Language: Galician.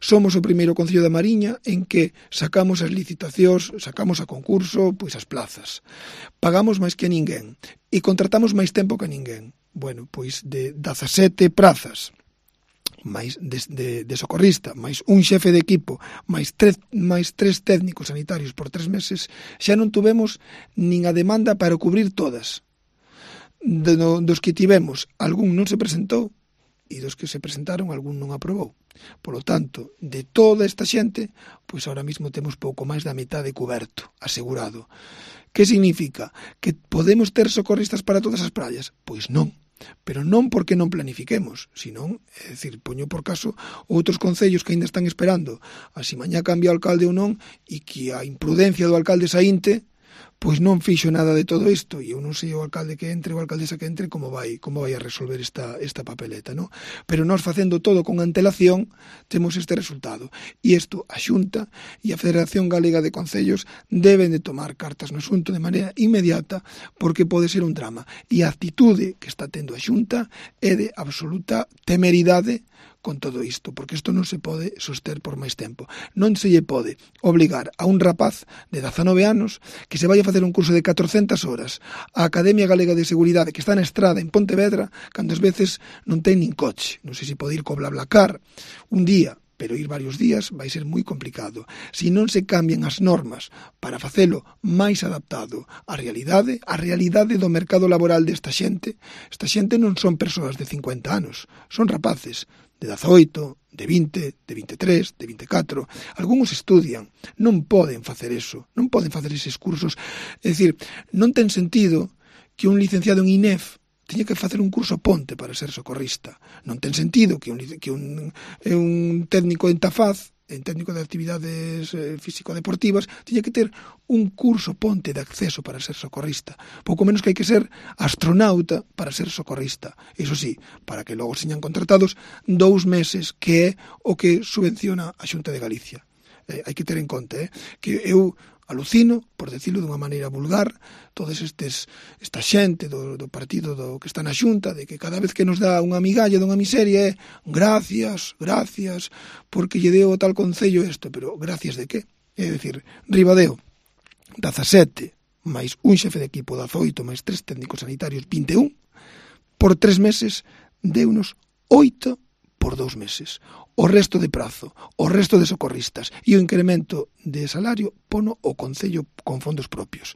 Somos o primeiro concello da Mariña en que sacamos as licitacións, sacamos a concurso, pois as plazas. Pagamos máis que ninguén e contratamos máis tempo que ninguén. Bueno, pois de 17 prazas, máis de socorrista, máis un xefe de equipo, máis tres técnicos sanitarios por 3 meses, xa non tuvemos nin a demanda para cubrir todas. Dos que tivemos, algún non se presentou, e dos que se presentaron, algún non aprobou. Por lo tanto, de toda esta xente, pois ahora mismo temos pouco máis da metade coberto, asegurado. Que significa? Que podemos ter socorristas para todas as praias? Pois non. Pero non porque non planifiquemos, senón, é dicir, poño por caso outros concellos que ainda están esperando a si mañá cambia o alcalde ou non, e que a imprudencia do alcalde saínte pois non fixo nada de todo isto, e eu non sei o alcalde que entre, o alcaldesa que entre, como vai a resolver esta papeleta, non? Pero nós facendo todo con antelación temos este resultado, e isto a Xunta e a Federación Galega de Concellos deben de tomar cartas no asunto de maneira inmediata, porque pode ser un drama, e a actitude que está tendo a Xunta é de absoluta temeridade con todo isto, porque isto non se pode soster por máis tempo. Non se lle pode obligar a un rapaz de 19 anos que se vai a facer un curso de 400 horas á Academia Galega de Seguridade que está na Estrada en Pontevedra, cando ás veces non ten nin coche. Non sei se pode ir co BlaBlaCar un día, pero ir varios días vai ser moi complicado. Se non se cambian as normas para facelo máis adaptado á realidade do mercado laboral desta xente non son persoas de 50 anos, son rapaces de 18, de 20, de 23, de 24. Algúns estudian, non poden facer eso, non poden facer eses cursos. É dicir, non ten sentido que un licenciado en INEF teña que facer un curso ponte para ser socorrista. Non ten sentido que un técnico en Tafaz, en técnico de actividades físico-deportivas, teña que ter un curso ponte de acceso para ser socorrista. Pouco menos que hai que ser astronauta para ser socorrista. Iso sí, para que logo señan contratados 2 meses, que é o que subvenciona a Xunta de Galicia. Hai que ter en conta que eu alucino, por decirlo dunha maneira vulgar, todos esta xente do partido que está na Xunta, de que cada vez que nos dá unha migalla dunha miseria é gracias, porque lle deu o tal concello isto, pero gracias de que? É dicir, Ribadeo, 17, máis un xefe de equipo, 18, máis 3 técnicos sanitarios, 21, por 3 meses, deunos 8 por 2 meses. O resto de prazo, o resto de socorristas e o incremento de salario pono o Concello con fondos propios.